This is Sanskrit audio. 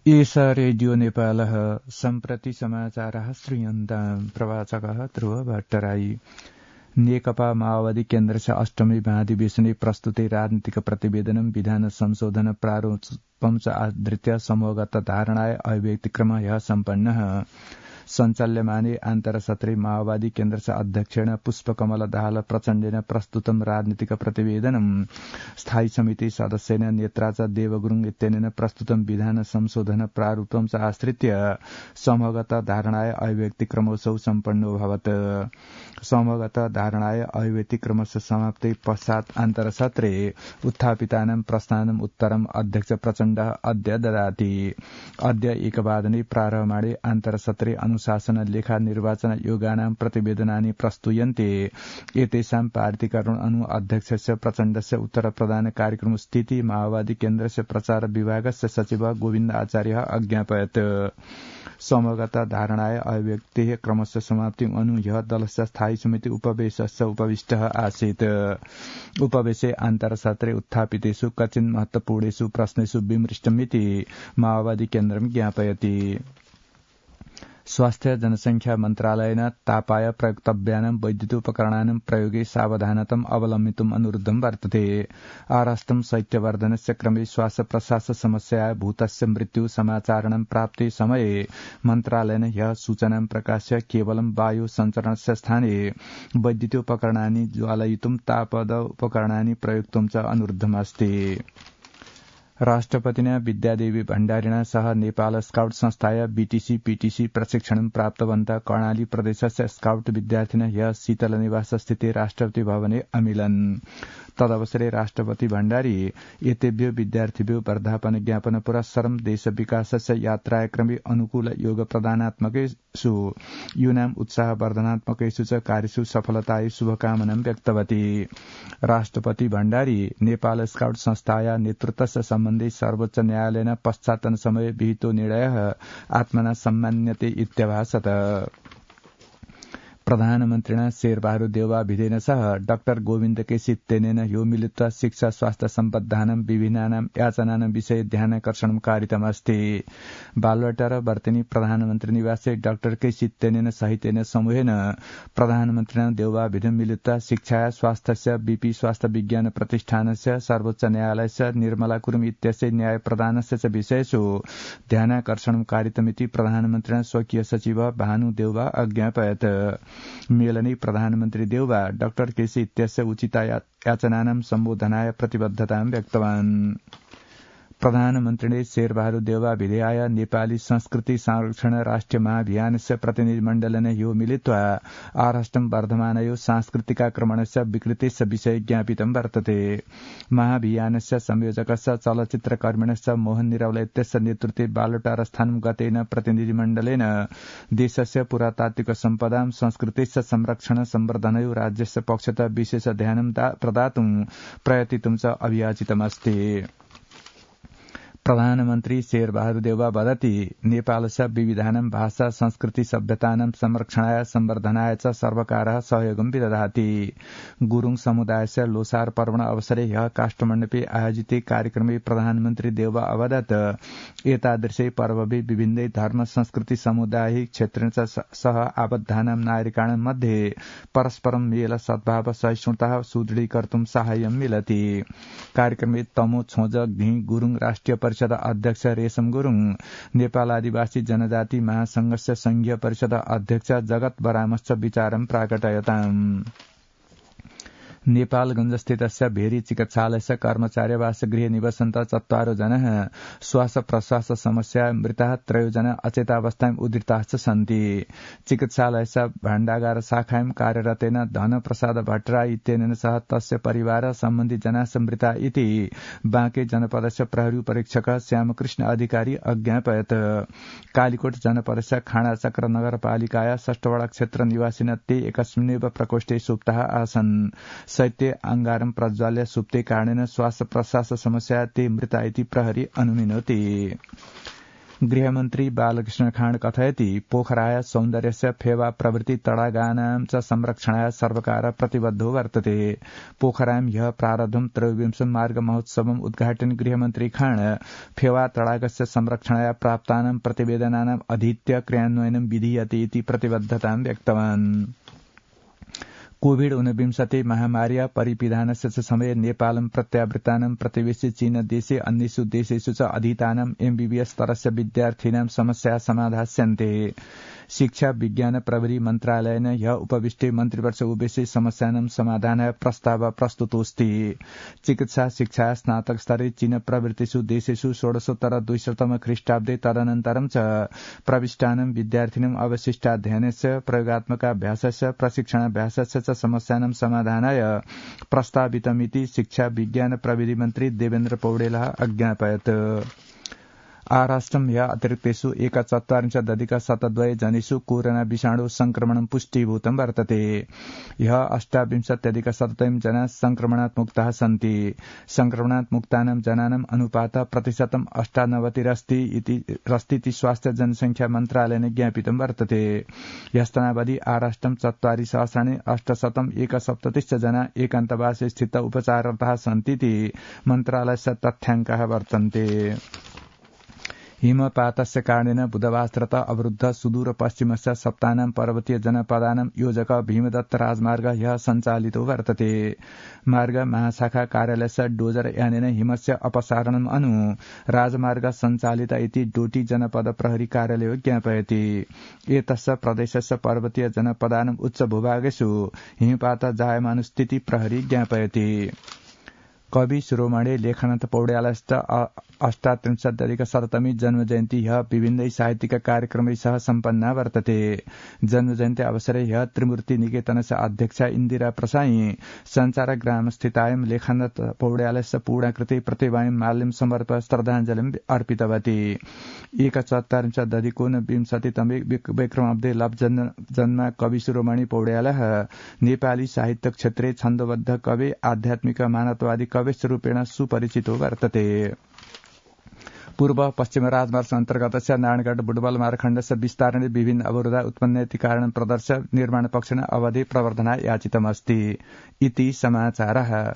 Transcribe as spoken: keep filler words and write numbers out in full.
एषा रेडियो नेपालः सम्प्रति समाचारः श्रूयन्ताम् प्रवाचकः ध्रुव भट्टराई। नेकपा माओवादी केन्द्रस्य अष्टमी महाधिवेशने प्रस्तुते राजनीतिक प्रतिवेदनं विधान संशोधन प्रारूपं च आधृत्य समूहगत धारणाय अभिव्यक्तिक्रम ह्यः सम्पन्नः। सञ्चाल्यमाने आन्तरसत्रे माओवादी केन्द्रस्य अध्यक्षेण पुष्पकमल दाहाल प्रचण्डेन प्रस्तुतं राजनीतिक प्रतिवेदनं स्थायी समिति सदस्येन नेत्राच देवगुरुङ इत्यनेन प्रस्तुतं विधान संशोधन प्रारूपं च आश्रित्य समूहगत धारणाय अभिव्यक्तिक्रमोत्सव सम्पन्नोऽभवत्। समूहगत धारणाय अभिव्यक्तिक्रमस्य समाप्ति पश्चात् आन्तरसत्रे उत्थापितानां प्रश्नानाम् उत्तरम् अध्यक्ष प्रचण्डः अद्य ददाति। अद्य एकवादने प्रारम्भमाणे आन्तरसत्रे अनुशासन लेखा निर्वाचन योगानां प्रतिवेदनानि प्रस्तूयन्ते। एतेषां पारितीकरण अनु अध्यक्षस्य प्रचण्डस्य उत्तर प्रदान कार्यक्रम स्थिति माओवादी केन्द्रस्य प्रचार विभागस्य सचिव गोविन्द आचार्यः अज्ञापयत्। समूहगत धारणाय अभिव्यक्तेः क्रमस्य समाप्ति अनु ह्यः दलस्य स्थायी समिति उपवेशस्य उपविष्टः आसीत्। उपवेशे आन्तरसत्रे उत्थापितेषु कश्चिन् महत्वपूर्णेषु प्रश्नेषु विमृष्टमिति माओवादी केन्द्रं ज्ञापयति। स्वास्थ्य जनसंख्या मन्त्रालयेन तापाय प्रयोक्तव्यानां वैद्युतोपकरणानां प्रयोगे सावधानताम् अवलम्बितुम् अनुरुद्धं वर्तते। आराष्टं शैत्यवर्धनस्य क्रमे श्वास प्रश्वास समस्याया भूतस्य मृत्यु समाचारणं प्राप्ते समये मन्त्रालयेन ह्यः सूचनां प्रकाश्य केवलं वायु सञ्चरणस्य स्थाने वैद्युतोपकरणानि ज्वालयितुं तापद उपकरणानि प्रयोक्तुं च अनुरुद्धमस्ति। राष्ट्रपतिना विद्यादेवी भण्डारिणा सह नेपाल स्काउट संस्थाय बीटीसी पीटीसी प्रशिक्षणं प्राप्तवन्तः कर्णाली प्रदेशस्य स्काउट विद्यार्थिनः ह्यः शीतलनिवास स्थिते राष्ट्रपति भवने अमिलन्। तदवसरे राष्ट्रपति भण्डारी एतेभ्यो विद्यार्थिभ्यो वर्धापन ज्ञापन पुरस्सरं देश विकासस्य यात्राक्रमे अनुकूल योग प्रदानात्मकेषु यूनां उत्साहवर्धनात्मकेषु च कार्येषु सफलतायै शुभकामनां व्यक्तवती। राष्ट्रपति भण्डारी नेपाल स्काउट संस्थाया नेतृत्वस्य सम्बन्धे सर्वोच्च न्यायालयेन पश्चातन समये विहितो निर्णयः आत्मना सम्मान्यते इत्यभाषत। प्रधानमन्त्रिणा शेरबहादुर देउवाभिधेन सह डाक्टर गोविन्द केसी तेनेन ह्यो मिलित्वा शिक्षा स्वास्थ्य सम्बद्धानां विभिन्नानां याचनानां विषये ध्यानाकर्षणं कारितमस्ति। बालुवाटा र वर्तनी प्रधानमन्त्री निवासे डाक्टर केसी तेनेन सहितेन समूहेन प्रधानमन्त्रिणा देउवाभिधेन मिलित्वा शिक्षा स्वास्थ्यस्य बीपी स्वास्थ्य विज्ञान प्रतिष्ठानस्य सर्वोच्च न्यायालयस्य निर्मला कुरुम इत्यस्य न्याय प्रदानस्य च विषयेषु ध्यानाकर्षणं कारितमिति प्रधानमन्त्रिणा स्वकीय सचिव भानु देउवा अज्ञापयत्। मेलने प्रधानमन्त्री देउवा डाक्टर केसी इत्यस्य उचित याचनानां सम्बोधनाय प्रतिबद्धतां व्यक्तवान्। प्रधानमन्त्रीले शेरबहादुर देउवाभिधेयाय नेपाली संस्कृति संरक्षण राष्ट्रिय महाभियानस्य प्रतिनिधिमण्डलेन ह्यो मिलित्वा आराष्टं वर्धमानयो सांस्कृतिकाक्रमणस्य विकृतेस्य विषये ज्ञापितं वर्तते। महाभियानस्य संयोजकस्य चलचित्रकर्मिणश्च मोहन निरौला इत्यस्य नेतृत्वे बालुटार स्थानं गतेन प्रतिनिधिमण्डलेन देशस्य पुरातात्विक सम्पदां संस्कृतेस्य संरक्षण सम्वर्धनयो राज्यस्य पक्षतः विशेष ध्यानं प्रदातुं प्रयतितुं च अभियाचितमस्ति। प्रधानमन्त्री शेरबहादुर देउवा वदति नेपालस्य विविधानां भाषा संस्कृति सभ्यतानां संरक्षणाय सम्वर्धनाय च सर्वकारः सहयोगं विदधाति। गुरुङ समुदायस्य लोसार पर्वण अवसरे ह्यः काष्ठमण्डपे आयोजिते कार्यक्रमे प्रधानमन्त्री देउवा अवदत् एतादृशे पर्वभि विभिन्नै धर्म संस्कृति सामुदायिक क्षेत्रेण च सह आबद्धानां नागरिकाणां मध्ये परस्परं मेल सद्भाव सहिष्णुता सुदृढीकर्तुं साहाय्यं मिलति। कार्यक्रमे तमो छोज घि गुरुङ राष्ट्रिय परिषद अध्यक्ष रेशम गुरुङ, नेपाल आदिवासी जनजाति महासंघस्य संघीय परिषद अध्यक्ष जगत बरामश्च विचारं प्राकटयताम्। नेपालगञ्जस्थितस्य भेरी चिकित्सालयस्य कर्मचार्यवासगृहे निवसन्तः चत्वारो जनः श्वास प्रश्वास समस्या मृताः त्रयो जना अचेतावस्थायाम् उद्धृताश्च सन्ति। चिकित्सालयस्य भाण्डागार शाखायां कार्यरतेन धनप्रसाद भट्टराई इत्यनेन सह तस्य परिवार सम्बन्धी जनाः मृता इति बाँके जनपदस्य प्रहरी परीक्षक श्यामकृष्ण अधिकारी अज्ञापयत्। कालीकोट जनपदस्य खाँडाचक्र नगरपालिकाया षष्ठवटा क्षेत्र निवासिन ते एकस्मिन्नेव प्रकोष्ठे सुप्ताः आसन्। शैत्य अंगारं प्रज्वाल्य सुप्ते कारणेन श्वास प्रश्वास समस्या ते मृता इति प्रहरी अनुमिनोति। गृहमन्त्री बालकृष्ण खाँड कथयति पोखराय सौन्दर्यस्य फेवा प्रवृत्ति तडागानां च संरक्षणाय सर्वकार प्रतिबद्धो वर्तते। पोखरां ह्यः प्रारब्धं त्रयोविंशं मार्ग महोत्सवम् उद्घाटयन् गृहमन्त्री खाँड फेवा तडागस्य संरक्षणाय प्राप्तानां प्रतिवेदनानाम् अधीत्य क्रियान्वयनं विधीयते इति प्रतिबद्धतां व्यक्तवान्। कोविड ऊनविंशति महामार्या परिपिधानस्य च समये नेपालं प्रत्यावृत्तानां प्रतिवेशि चीन देशे अन्येषु देशेषु च अधीतानां एमबीबीएस स्तरस्य विद्यार्थिनां समस्या समाधास्यन्ते। शिक्षा विज्ञान प्रविधि मन्त्रालयेन ह्यः उपविष्टे मन्त्रिपरिषद उपवेशे समस्यानां समाधानाय प्रस्ताव प्रस्तुतोऽस्ति। चिकित्सा शिक्षा स्नातक स्तरे चीन प्रवृत्तिषु देशेषु षोडशोत्तर द्विशततम ख्रीष्टाब्दे तदनन्तरं च प्रविष्टानां विद्यार्थिनाम् अवशिष्टाध्ययनस्य प्रयोगात्मकाभ्यासस्य प्रशिक्षणाभ्यासस्य च समस्यानां समाधानाय प्रस्तावितमिति शिक्षा विज्ञान प्रविधि मन्त्री देवेन्द्र पौडेलः अज्ञापयत्। आराष्ट्रं ह्यः अतिरिक्तेषु एकचत्वारिंशदधिक शतद्वय जनेषु कोरोना विषाणु संक्रमणं पुष्टीभूतं वर्तते। ह्यः अष्टाविंशत्यधिक शततम जना संक्रमणात् मुक्ताः सन्ति। संक्रमणात् मुक्तानां जनानाम् अनुपातः प्रतिशतम् अष्टानवतिरस्ति स्वास्थ्य जनसंख्या मन्त्रालयेन ज्ञापितं वर्तते। ह्यस्तनावधि आराष्ट्रं चत्वारि सहस्राणि अष्टशतम् एकसप्ततिश्च जना एकान्तवासे स्थित उपचाररताः सन्तीति मन्त्रालयस्य तथ्याङ्काः वर्तन्ते। हिमपातस्य कारणेन बुधवासरतः अवरुद्ध सुदूर पश्चिमस्य सप्तानां पर्वतीय जनपदानां योजक भीमदत्त राजमार्ग ह्यः सञ्चालितो वर्तते। मार्ग महाशाखा कार्यालयस्य डोजर यानेन हिमस्य अपसारणम् अनु राजमार्ग सञ्चालित इति डोटी जनपद प्रहरी कार्यालयो ज्ञापयति। एतस्य प्रदेशस्य पर्वतीय जनपदानाम् उच्च भूभागेषु हिमपात जायमानस्थिति प्रहरी ज्ञापयति। कवि शिरोमणि लेखनाथ पौड्यालस्य अष्टात्रिंशदधिक शततमी जन्मजयन्ती ह्यः विभिन्नै साहित्यिक कार्यक्रमै सह सम्पन्ना वर्तते। जन्मजयन्ती अवसरे ह्यः त्रिमूर्ति निकेतनस्य अध्यक्षा इन्दिरा प्रसाई सञ्चार ग्रामस्थितायां लेखनाथ पौड्यालस्य पूर्णाकृति प्रतिमां माल्यं समर्प्य श्रद्धाञ्जलिम् अर्पितवती। एकचत्वारिंशदधिकोनविंशतितमे विक्रमाब्दे लब्धजन्मा कवि शिरोमणि पौड्यालः नेपाली साहित्य क्षेत्रे छन्दोबद्ध कवि आध्यात्मिक मानवतावादी कविश्च रूपेण सुपरिचितो वर्तते। पूर्व पश्चिम राजमार्ग अन्तर्गतस्य नारायणगढ बुटवल मार्गखण्डस्य विस्तारणे विभिन्न अवरोधा उत्पन्नेति कारणं प्रदर्श्य निर्माण पक्षेण अवधि प्रवर्धनाय याचितमस्ति इति समाचारः।